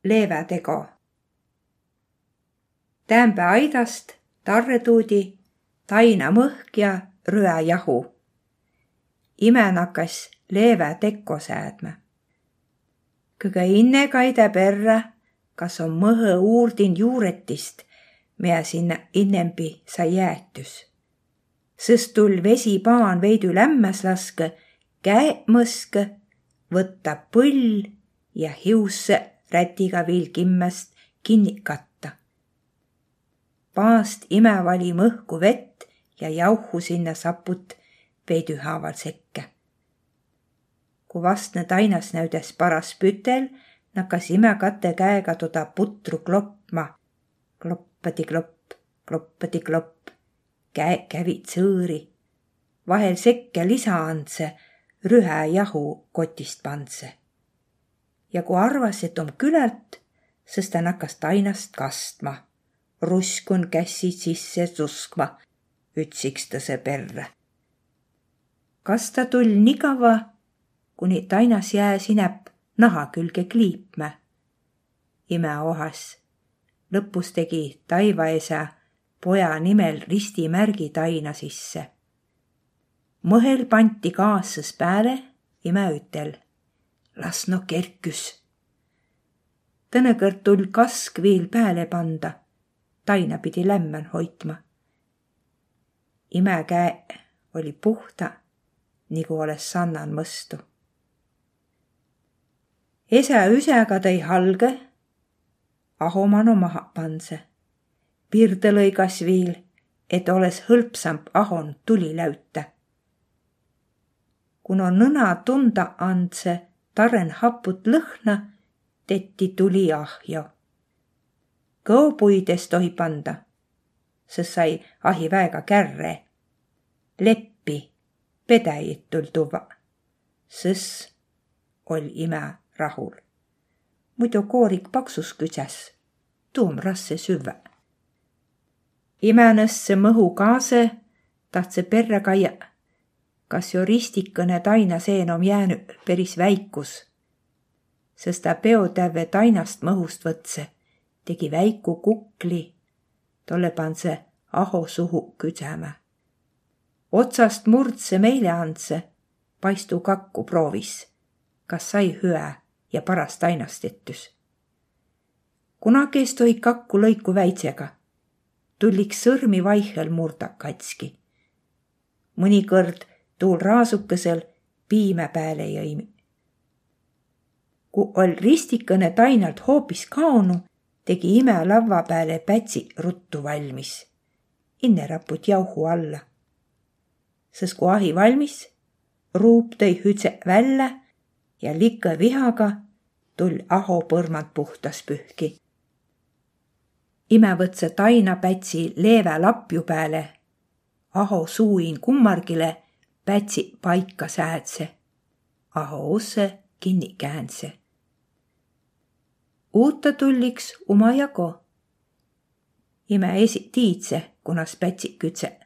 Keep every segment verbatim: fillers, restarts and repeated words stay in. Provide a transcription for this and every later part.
Leevätego. Täämbä aidast tarretuudi taina mõhk ja rüä jahu. Imä nakkas leevätekko säädmä. Kõgõ inne kaidá perrä, kas om mõhõ uurdin juuretist, mea sinnä innembi sai jäetüs. Sõs tull' vesipaan veidü lämmäs laskõ, käe' mõskõ, võtta' põll ja hiussõ rätiga viil kimmäst kinniq katta. Paast imä vali mõhku vett ja jauhhu sinnä saput veidühaaval sekkä. Ku vastnõ tainas näüdäs paras pütel, nakkas imä katõ käega toda putru klopma. Kloppadi-klopp, kloppadi-klopp. Käe' kävi' tsõõri. Vahel sekkä lisaandsõ, rühä jahu kotist pandsõ. Ja ku arvas, et om külält, sõs tä nakkas tainast kastma, ruskun kässi sisse suskma ütsikstõsõ perrä. Kasta tull' nii kavva, kuni tainas jääs inäp naha külge kliipmä. Imä ohas. Lõpus tegi taivaesä poja nimel ristimärgi taina sisse. Mõhel panti gaas sõs pääle, imä ütel: Las no kerküs. Tõnõ kõrd tull' kask viil pääle panda, taina pidi lämmän hoitma. Imä käe' olli puhta, nigu olõs sannan mõstu. Esä üsäga tõi halgõ, aho mano maha pandsõ. Pirdõ lõigas viil, et olõs hõlpsamp ahon tuli läütä. Ku no nõna tunda andsõ tarren haput lõhna, tetti tuli ahjo. Kõopuid es tohi panda, sõs sai ahi väega kärre. Leppi, pedäjit tull' tuvva. Sõs oll' imä rahul. Muido koorik paksus küdsäs, tuu om rasse süvvä. Imä nõssõ mõhu kaasõ, tahtsõ perrä kaia', kas jo ristikõnõ taina seen om jäänü peris väikus. Sõs tä peotävve tainast mõhust võtsõ, tegi väiku kukli, tollõ pandsõ aho suhu küdsämä. Otsast murdsõ meile andsõ, paistu kakku proovis, kas sai hüä ja paras tainast tettüs. Kunagi es tohi kakku lõiku väidsega, tulliks sõrmi vaihhel murda katski. Mõnikõrd tuul raasukõsõl piimä pääle jõimi. Ku oll' ristikõnõ tainalt hoopis kaonu, tegi imä lavva pääle pätsi ruttu valmis. Inne raput jauhu alla. Sõs ku ahi valmis, ruup tõi hüdse vällä ja likõ vihaga tull' aho põrmand puhtas pühki. Imä võtsõ taina pätsi leevä lapju pääle, aho suuin kummargile pätsi paika säädse, aho ussõ kinni käändse. Uuta tulliks uma jago. Imä esi tiidse, kunas pätsi küdse.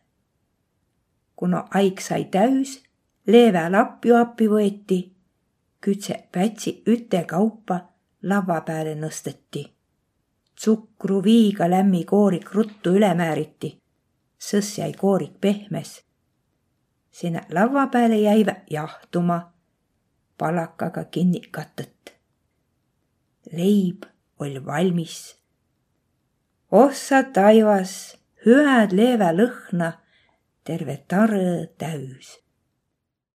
Ku no aig sai täüs, leevä lapju appi võeti, küdse pätsi üte kaupa lavva pääle nõstõti. Tsukru viiga lämmi koorik ruttu üle määriti, sõs jäi koorik pehmes. Sinnä lavva pääle jäivä jahtuma, palakaga kinni katõt. Leib oll' valmis. Ossa taivas, hüäd leevä lõhna, terve tarõ täüs.